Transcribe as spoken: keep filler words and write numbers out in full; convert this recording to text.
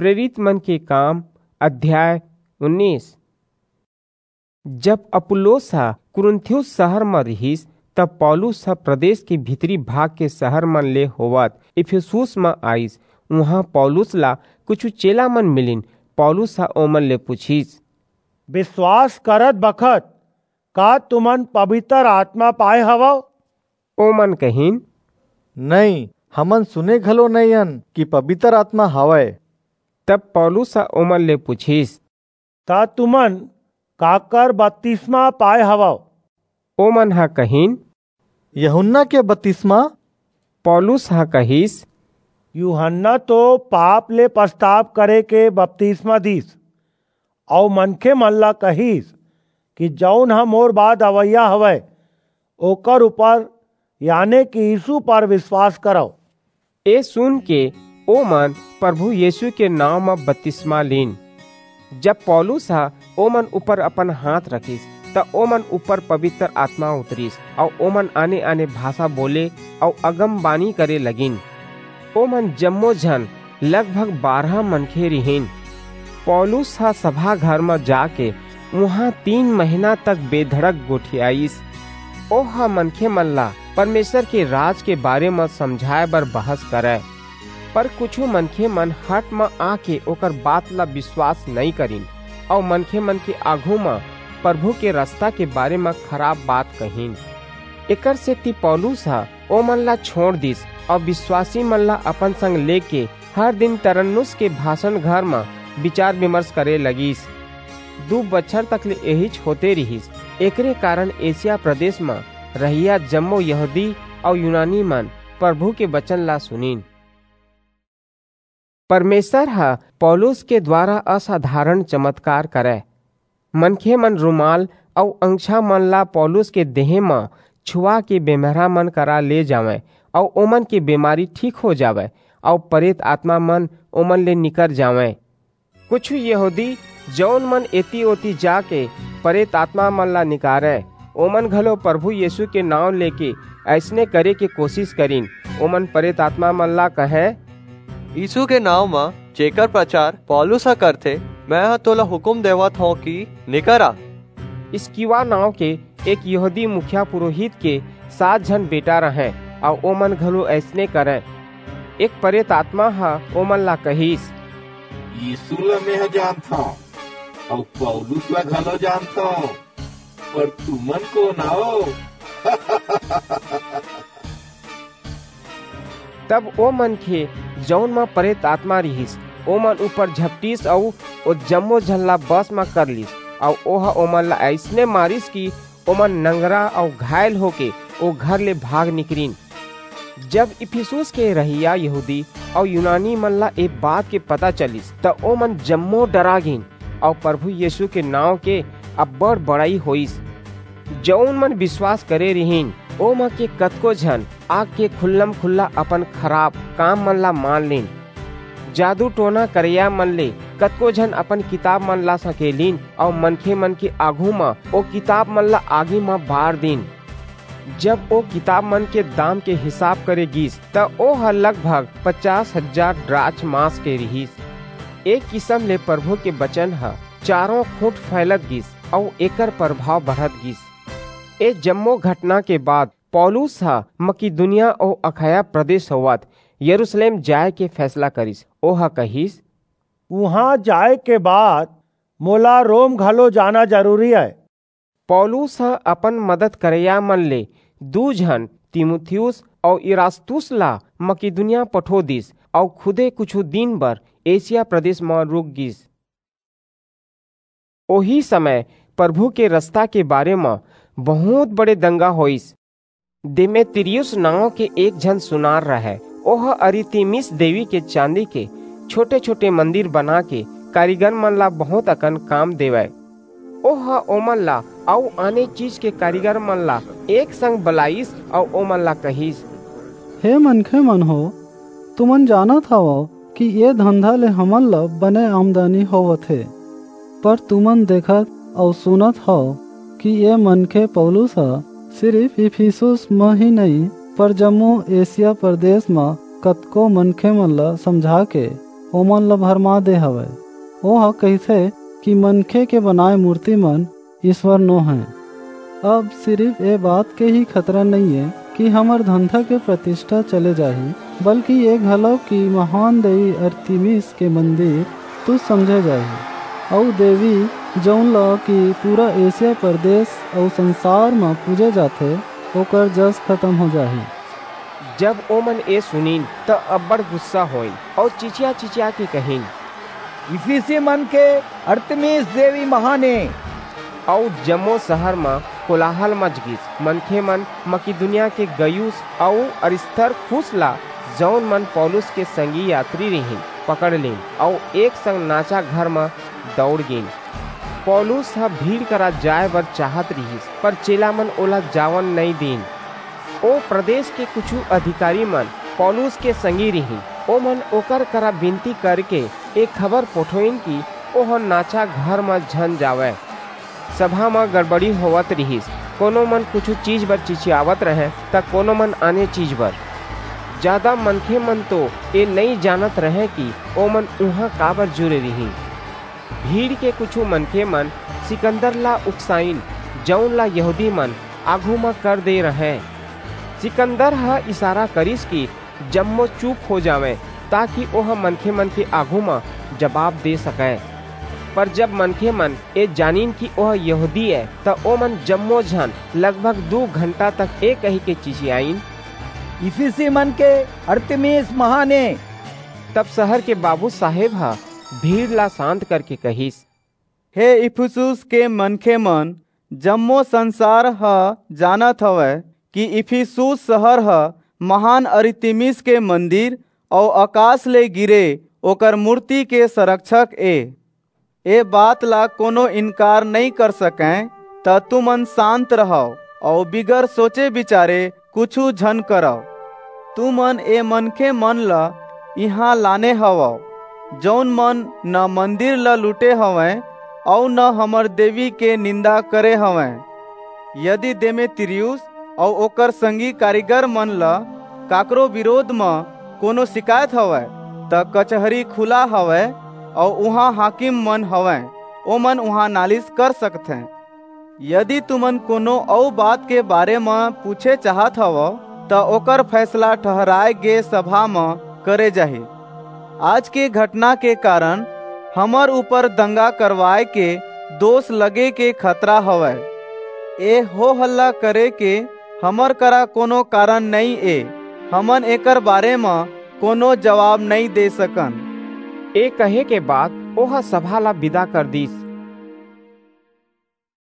प्रेरित मन के काम, अध्याय उन्नीस। जब अपुल्लोस ह कुरिन्थुस शहर म रिहिस, तब पौलुस ह प्रदेश के भीतरी भाग के शहर मन ले होवत इफिसुस म आइस। उहां पौलुस ला कुछु चेला मन मिलिन। पौलुस ह ओमन ले पूछिस, विश्वास करत बखत का तुमन पवित्र आत्मा पाए हवव? ओमन कहिन, नहीं, हमन सुने घलो नइ अन कि पवित्र आत्मा हवय। तब पौलुस ह ओमन ले पूछिस, त तुमन काकर बतिस्मा पाए हवव? ओमन ह कहिन, यूहन्ना के बतिस्मा। पौलुस ह कहिस, यूहन्ना तो पाप ले पछताप करे के बतिस्मा दिस, अऊ मनखे मन ला कहिस कि जऊन ह मोर बाद अवइया हवय, ओकर ऊपर, याने कि यीशु पर विश्वास करव। ए सुन के ओमन प्रभु यीशु के नांव म बतिस्मा लीन। जब पौलुस ह ओमन ऊपर अपन हाथ रखिस, त ओमन ऊपर पवित्र आत्मा उतरिस, अऊ ओमन आने-आने भाषा बोले अऊ अगमबानी करे लगिन। ओमन जम्मो झन लगभग बारह मनखे रिहिन। पौलुस ह सभा घर म जाके उहां तीन महीना तक बेधड़क गोठियाइस। ओह मनखे मन ला परमेसर के राज के बारे म समझाय बर बहस करय, पर कुछू मनखे मन हठ म आके ओकर बात ला बिसवास नइं करिन, अऊ मनखे मन के आघू म प्रभु के रसता के बारे म खराप बात कहिन। एकर सेति पौलुस ह ओमन ला छोंड़ दिस, अऊ बिसवासी मन ला अपन संग लेके हर दिन तरन्नुस के भासन घर म बिचार-बिमर्स करे लगिस। दू बछर तक ले एहीच होते रिहिस। एकरे कारन एसिया प्रदेस म रहइया जम्मो यहूदी अऊ यूनानी मन परभू के बचन ला सुनिन। परमेसर ह पौलुस के दुवारा असाधारन चमतकार करय। मनखे मन रूमाल अऊ अंगछा मन ला पौलुस के देहें म छुवाके बेमरहा मन करा ले जावंय अऊ ओमन के बेमारी ठीक हो जावय अऊ परेत आतमा मन ओमन ले निकर जावंय। कुछू यहूदी, जऊन मन एती-ओती जाके परेत आतमा मन ला निकारंय, ओमन घलो परभू यीसू के नांव लेके अइसने करे के कोसिस करिन। ओमन परेत आतमा मन ला कहंय, यीसू के नांव म जेकर परचार पौलुस ह करथे, मेंह तोला हुकूम देवत हंव कि निकर आ। स्किवा नांव के एक यहूदी मुखिया पुरोहित के सात झन बेटा रहंय, अऊ ओमन घलो अइसने करंय। एक परेत आतमा ह ओमन ला कहिस, यीसू ला मेंह जानथंव, अऊ पौलुस ला घलो जानथंव, पर तुमन कोन अव? तब ओ मनखे, जऊन म परेत आतमा रिहिस, ओमन ऊपर झपटिस अऊ ओ जम्मो झन ला बस म कर लीस, अऊ ओह ओमन ला अइसने मारिस कि ओमन नंगरा अऊ घायल होके ओ घर ले भाग निकरिन। जब इफिसुस के रहइया यहूदी अऊ यूनानी मन ला ए बात के पता चलिस, त ओमन जम्मो डरा गीन अऊ परभू यीसू के नांव के अब्बड़ बड़ई होईस। जऊन मन बिसवास करे रिहिन, ओमा के कतको झन आके खुल्लम-खुल्ला अपन खराप काम मन ला मान लीन। जादू-टोना करइया मन ले कतको झन अपन किताब मन ला सकेलिन अऊ मनखे मन के आघू म ओ किताब मन ला आगी म बार दीन। जब ओ किताब मन के दाम के हिसाब करे गीस, त ओह लगभग पचास हजार द्राचमास के रिहिस। ए किसम ले परभू के बचन ह चारों खूंट फइलत गीस अऊ एकर परभाव बढ़त गीस। ए जम्मो घटना के बाद पौलुस ह मकिदुनिया अऊ अखाया प्रदेस होवत यरूसलेम जाय के फैसला करिस। ओह कहिस, उहां जाय के बाद मोला रोम घलो जाना जरूरी अय। पौलुस ह अपन मदद करइया मन ले दू झन, तीमुथियुस अऊ इरास्तुस ला मकिदुनिया पठो दीस अऊ खुदे कुछू दिन बर एसिया प्रदेस म रूक गीस। ओही समय परभू के रसता के बारे म बहुंत बड़े दंगा होईस। देमेत्रियुस नांव के एक झन सुनार रहय। ओह अरितिमिस देवी के चांदी के छोटे-छोटे मंदिर बनाके कारीगर मन ला बहुंत अकन काम देवय। ओह ओमन ला अऊ आने चीज के कारीगर मन ला एक संग बलाईस अऊ ओमन ला कहिस, हे मनखे मन हो, तुमन जानत हवव कि ए धंधा ले हमन ल बने आमदनी होवत हे। पर तुमन देखत अऊ सुनत हव कि ए मनखे पौलुस ह सिरिफ इफिसुस म ही नइं, पर जम्मो एसिया प्रदेस म कतको मनखे मन ल समझाके ओमन ल भरमा दे हवय। ओह कहिथे कि मनखे के बनाए मूर्ति मन ईश्वर नो हैं। अब सिरिफ ए बात के ही खतरा नइये कि हमर धंधा के प्रतिष्ठा चले जाही, बल्कि ए घलो कि महान देवी अरतिमिस के मंदिर तुच्छ समझे जाही, अऊ देवी, जऊन ल कि पूरा एशिया प्रदेश अऊ संसार म पूजे जाथे, ओकर जस खतम हो जाही। जब ओमन ए सुनिन, त अब्बड़ गुस्सा होइन अऊ चिचिया-चिचिया के कहिन, "इफिसी मन के अरतिमिस देवी महान ए।" अऊ जम्मो शहर म कोलाहल मच गिस। मनखे मन मकिदुनिया के गयुस अऊ अरिस्तर्खुस ला, जऊन मन पौलुस के संगी यात्री रिहिन, पकड़ लीन अऊ एक संग नाचा घर म दौड़ गीन। पौलुस ह भीड़ करा जाय बर चाहत रिहिस, पर चेला मन ओला जावन नइं दीन। ओ प्रदेश के कुछू अधिकारी मन पौलुस के संगी रिहिन। ओमन ओकर करा बिनती करके ए खबर पठोइन कि ओह नाचा घर म झन जावय। सभा म गड़बड़ी होवत रिहिस। कोनो मन कुछू चीज बर चिचियावत रहंय, त कोनो मन आने चीज बर। जादा मनखे मन तो ए नइं जानत रहंय कि ओमन उहां काबर जुरे रिहिन। भीड़ के कुछू मनखे मन सिकंदर ला उकसाइन, जऊन ला यहूदी मन आघू म कर दे रहंय। सिकंदर ह इशारा करिस कि जम्मो चुप हो जावंय, ताकि ओह मनखे मन के आघू म जबाब दे सकय। पर जब मनखे मन ए जानिन कि ओह यहूदी ए, त ओमन जम्मो झन लगभग दू घंटा तक ए कहिके चिचियाइन, "इफिसी मन के अरतिमिस महान ए।" तब शहर के बाबू साहेब ह भीड़ ला शांत करके कहिस, "हे इफिसुस के मनखे मन, जम्मो संसार ह जानत हवय कि इफिसुस शहर ह महान अरतिमिस के मंदिर अऊ अकास ले गिरे ओकर मूर्ति के संरक्षक ए। ए बात ला कोनो इनकार नइं कर सकंय, त तुमन शांत रहव अऊ बिगर सोचे बिचारे कुछू झन करव। तुमन ए मनखे मन ल इहां लाने हवव, जऊन मन न मंदिर ल लूटे हवंय अऊ न हमर देवी के निंदा करे हवंय। यदि देमेत्रियुस अऊ ओकर संगी कारीगर मन ल काकरो बिरोध म कोनो सिकायत हवय, त कचहरी खुला हवय अऊ उहां हाकिम मन हवंय, ओमन उहां नालिस कर सकथें। यदि तुमन कोनो अऊ बात के बारे म पूछे चाहत हवव, त ओकर फैसला ठहराय गे सभा म करे जाही। आज के घटना के कारण हमर ऊपर दंगा करवाय के दोष लगे के खतरा हवय। ए हो हल्ला करे के हमर करा कोनो कारण नइं ए। हमन एकर बारे म कोनो जवाब नइं दे सकन।" ए कहे के बाद ओह सभा ला बिदा कर दीस।